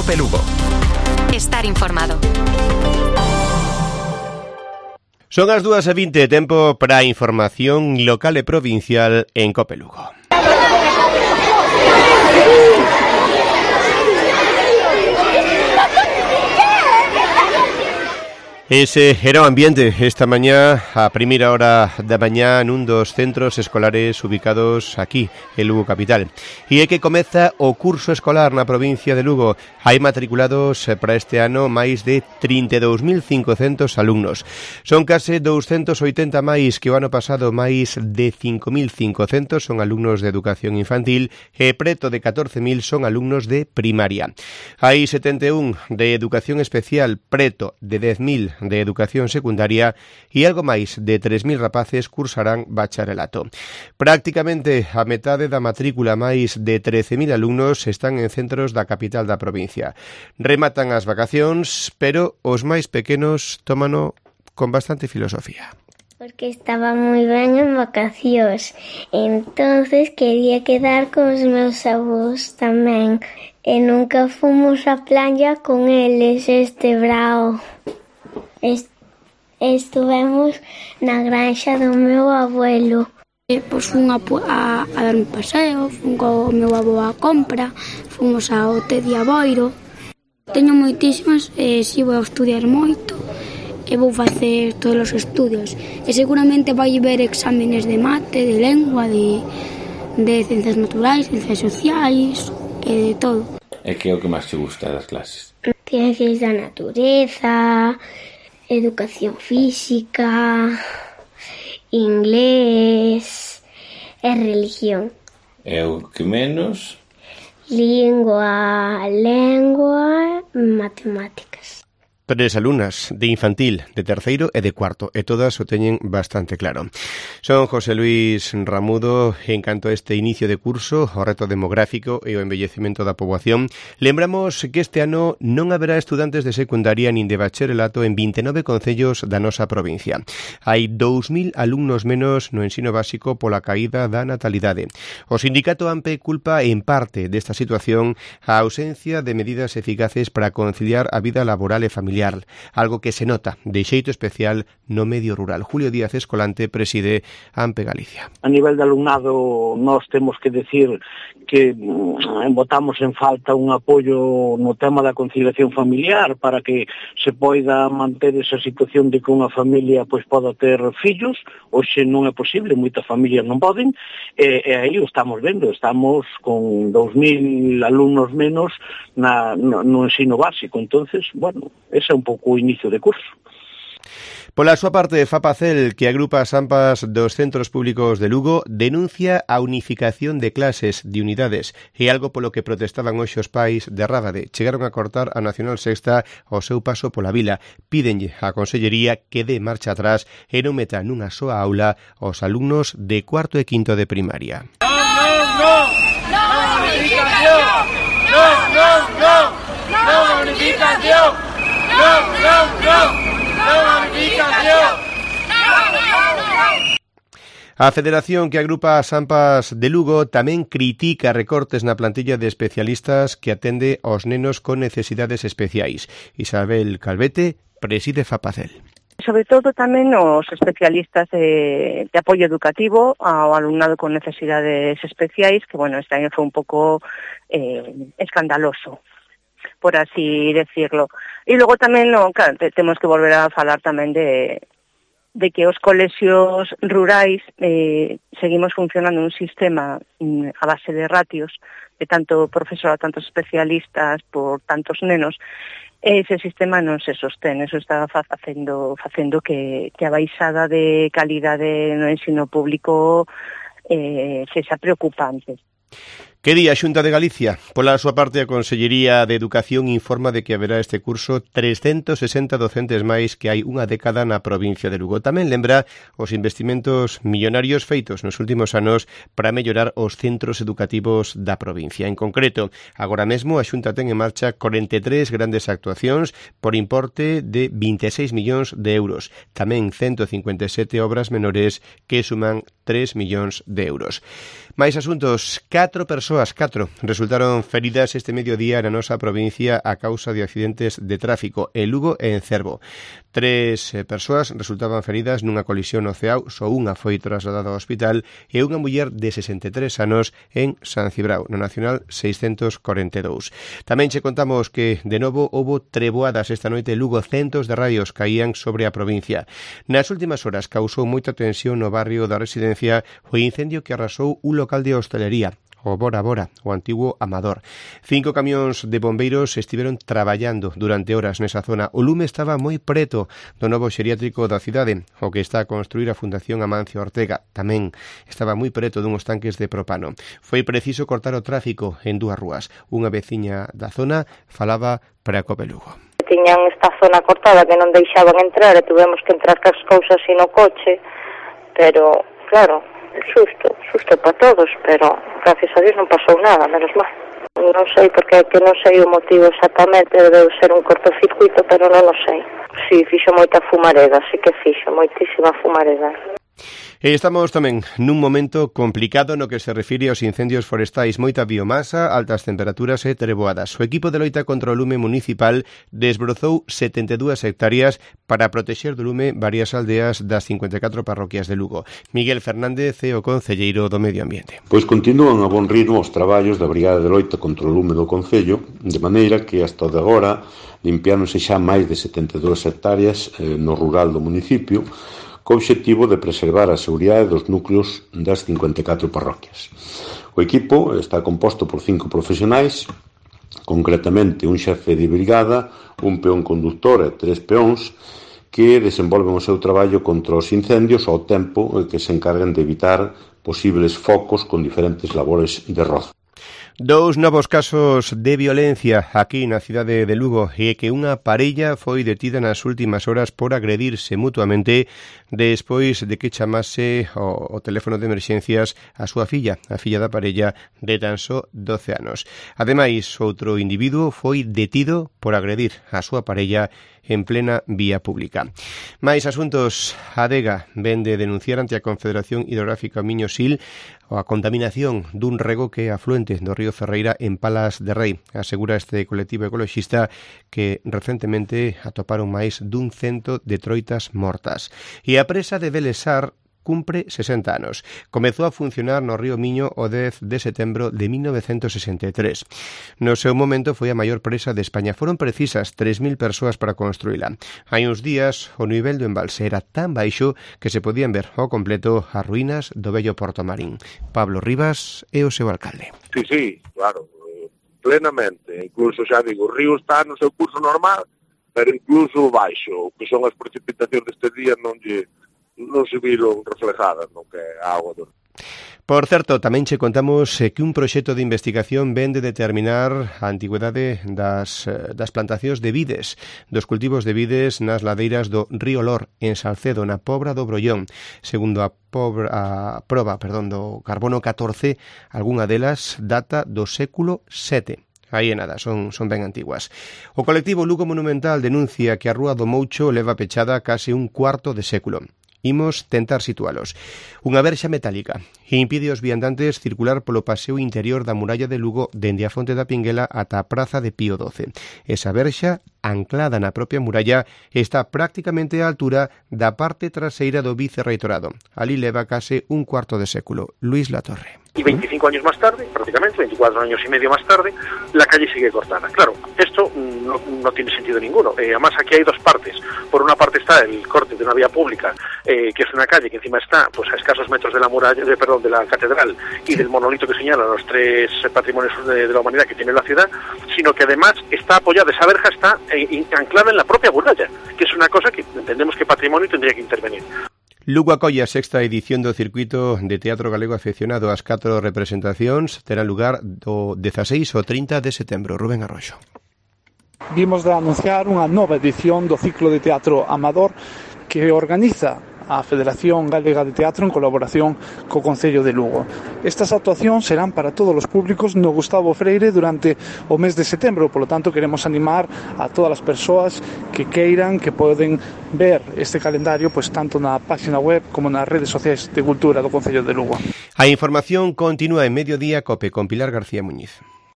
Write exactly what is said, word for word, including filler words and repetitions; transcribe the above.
Cope Lugo. Estar informado. Son as dúas e vinte, tempo para a información local e provincial en Cope Lugo. Ese era o ambiente esta mañá, a primeira hora da mañá, nun dos centros escolares ubicados aquí, en Lugo capital. E é que comeza o curso escolar na provincia de Lugo. Hai matriculados para este ano máis de trinta e dous mil cincocentos alumnos. Son case douscentos oitenta máis que o ano pasado, máis de cinco mil cincocentos son alumnos de educación infantil e preto de catorce mil son alumnos de primaria. Hai setenta e un de educación especial, preto de dez mil de educación secundaria e algo máis de tres mil rapaces cursarán bacharelato. Prácticamente a metade da matrícula, máis de trece mil alumnos, están en centros da capital da provincia. Rematan as vacacións, pero os máis pequenos tómano con bastante filosofía. Porque estaba moi ben en vacacións, entonces quería quedar con os meus avós tamén, e nunca fomos á playa con eles este brao. Est- Estuvemos na granxa do meu abuelo. E, pois fun a, a, a dar un paseo, fun co meu avó a compra, fomos ao Tedi a Boiro. Teño moitísimas e si vou a estudiar moito e vou facer todos os estudios. E seguramente vai haber exámenes de mate, de lengua, de, de ciencias naturais, ciencias sociais e de todo. E que é o que máis te gusta das clases? Ciencias da natureza, educación física, inglés e religión. E o que menos? Lingua, lengua, matemáticas. Tres alumnas de infantil, de terceiro e de cuarto, e todas o teñen bastante claro. Son José Luis Ramudo. En canto a este inicio de curso, o reto demográfico e o envellecemento da poboación, lembramos que este ano non haberá estudantes de secundaria nin de bacharelato en vinte e nove concellos da nosa provincia. Hai dous mil alumnos menos no ensino básico pola caída da natalidade. O sindicato AMPE culpa en parte desta situación a ausencia de medidas eficaces para conciliar a vida laboral e familiar, algo que se nota de xeito especial no medio rural. Julio Díaz Escolante preside AMPE Galicia. A nivel de alumnado, nós temos que decir que mm, botamos en falta un apoio no tema da conciliación familiar para que se poida manter esa situación de que unha familia pois poda ter fillos. Hoxe non é posible, moitas familias non poden, e, e aí o estamos vendo, estamos con dous mil alumnos menos na, no, no ensino básico. Entonces, bueno, ese é un pouco o inicio de curso. Pola súa parte, Fapacel, que agrupa as AMPAs dos centros públicos de Lugo, denuncia a unificación de clases de unidades e algo polo que protestaban hoxe os pais de Rábade. Chegaron a cortar a Nacional Sexta ao seu paso pola vila. Pídenlle á Consellería que dé marcha atrás e non meta nunha soa aula os alumnos de cuarto e quinto de primaria. ¡No, no, no! ¡No unificación! ¡No, no, no! ¡No unificación! ¡No, no, no! A federación que agrupa as AMPAs de Lugo tamén critica recortes na plantilla de especialistas que atende aos nenos con necesidades especiais. Isabel Calvete preside Fapacel. Sobre todo tamén os especialistas de, de apoio educativo ao alumnado con necesidades especiais, que, bueno, este año foi un pouco eh, escandaloso, por así decirlo. E logo tamén, no, claro, temos que volver a falar tamén de, de que os colexios rurais eh, seguimos funcionando un sistema mm, a base de ratios, de tanto profesor, tantos especialistas por tantos nenos. Ese sistema non se sostén, eso está facendo, facendo que, que a baixada de calidade no ensino público eh, sexa preocupante. Que di a Xunta de Galicia? Pola súa parte, a Consellería de Educación informa de que haberá este curso trescentos sesenta docentes máis que hai unha década na provincia de Lugo. Tamén lembra os investimentos millonarios feitos nos últimos anos para mellorar os centros educativos da provincia. En concreto, agora mesmo a Xunta ten en marcha corenta e tres grandes actuacións por importe de vinte e seis millóns de euros. Tamén ciento cincuenta e sete obras menores que suman tres millóns de euros. Mais asuntos, catro persoas persoas, catro, resultaron feridas este mediodía na nosa provincia a causa de accidentes de tráfico en Lugo e en Cervo. Tres eh, persoas resultaban feridas nunha colisión no Ceao, só unha foi trasladada ao hospital e unha muller de sesenta e tres anos en San Cibrao, no Nacional seiscentos corenta e dous. Tamén che contamos que, de novo, houbo treboadas esta noite en Lugo, centos de raios caían sobre a provincia. Nas últimas horas causou moita tensión no barrio da Residencia o incendio que arrasou un local de hostelería, o Bora Bora, o antigo Amador. Cinco camións de bombeiros estiveron traballando durante horas nesa zona. O lume estaba moi preto do novo xeriátrico da cidade, o que está a construir a Fundación Amancio Ortega. Tamén estaba moi preto dunhos tanques de propano. Foi preciso cortar o tráfico en dúas rúas. Unha veciña da zona falaba para a Cope Lugo. Tiñan esta zona cortada que non deixaban entrar e tuvemos que entrar cas cousas así no coche, pero, claro, susto, susto para todos, pero gracias a Dios non pasou nada, menos mal. Non sei, porque que non sei o motivo exactamente, debe ser un cortocircuito, pero non o sei. Si, fixo moita fumareda, si que fixo, moitísima fumareda. E estamos tamén nun momento complicado no que se refire aos incendios forestais, moita biomasa, altas temperaturas e treboadas. O equipo de loita contra o lume municipal desbrozou setenta e dúas hectáreas para protexer do lume varias aldeas das cincuenta e catro parroquias de Lugo. Miguel Fernández é o concelleiro do Medio Ambiente. Pois continúan a bon ritmo os traballos da Brigada de Loita contra o lume do Concello, de maneira que hasta de agora limpiáronse xa máis de setenta e dúas hectáreas eh, no rural do municipio, co obxectivo de preservar a seguridade dos núcleos das cincuenta e catro parroquias. O equipo está composto por cinco profesionais, concretamente un xefe de brigada, un peón conductor e tres peóns, que desenvolven o seu traballo contra os incendios ao tempo que se encargan de evitar posibles focos con diferentes labores de rozo. Dous novos casos de violencia aquí na cidade de Lugo e que unha parella foi detida nas últimas horas por agredirse mutuamente despois de que chamase o, o teléfono de emerxencias a súa filla, a filla da parella de tan só doce anos. Ademais, outro individuo foi detido por agredir a súa parella en plena vía pública. Mais asuntos, a Adega ven de denunciar ante a Confederación Hidrográfica Miño-Sil a contaminación dun rego que é afluente do río Ferreira en Palas de Rei. Asegura este colectivo ecoloxista que recentemente atoparon máis dun cento de troitas mortas. E a presa de Belesar cumpre sesenta anos. Comezou a funcionar no río Miño o dez de setembro de mil novecentos sesenta e tres. No seu momento foi a maior presa de España. Foron precisas tres mil persoas para construíla. Hai uns días o nivel do embalse era tan baixo que se podían ver ao completo as ruínas do vello Porto Marín. Pablo Rivas é o seu alcalde. Sí, sí, claro, plenamente. Incluso, xa digo, o río está no seu curso normal, pero incluso baixo, o que son as precipitacións deste día non lle non se viron reflejadas no que é a agua do... Por certo, tamén che contamos que un proxecto de investigación ven de determinar a antigüedade das, das plantacións de vides, dos cultivos de vides nas ladeiras do río Lor, en Salcedo, na Pobra do Brollón. Segundo a, pobra, a proba perdón, do carbono catorce, algunha delas data do século sete. Aí é nada, son, son ben antiguas. O colectivo Lugo Monumental denuncia que a Rúa do Moucho leva pechada case un cuarto de século. Imos tentar situalos. Unha verxa metálica impide aos viandantes circular polo paseo interior da muralla de Lugo dende a Fonte da Pinguela ata a Praza de Pío doce. Esa verxa, anclada na propia muralla, está prácticamente á altura da parte traseira do vicerreitorado. Ali leva case un cuarto de século. Luis Latorre. Y veinticinco años más tarde, prácticamente, veinticuatro años y medio más tarde, la calle sigue cortada. Claro, esto no, no tiene sentido ninguno. Eh, además, aquí hay dos partes. Por una parte está el corte de una vía pública, eh, que es una calle que encima está pues a escasos metros de la muralla, de, perdón, de la catedral y del monolito que señala los tres patrimonios de, de la humanidad que tiene la ciudad, sino que además está apoyada, esa verja está eh, anclada en la propia muralla, que es una cosa que entendemos que patrimonio tendría que intervenir. Lugo acolle a sexta edición do circuito de teatro galego afeccionado. As catro representacións terán lugar do dezaseis ao trinta de setembro. Rubén Arroxo. Vimos de anunciar unha nova edición do ciclo de teatro amador que organiza a Federación Galega de Teatro en colaboración co Concello de Lugo. Estas actuacións serán para todos os públicos no Gustavo Freire durante o mes de setembro, polo tanto queremos animar a todas as persoas que queiran, que poden ver este calendario pois tanto na página web como nas redes sociais de cultura do Concello de Lugo. A información continúa en Mediodía Cope con Pilar García Muñiz.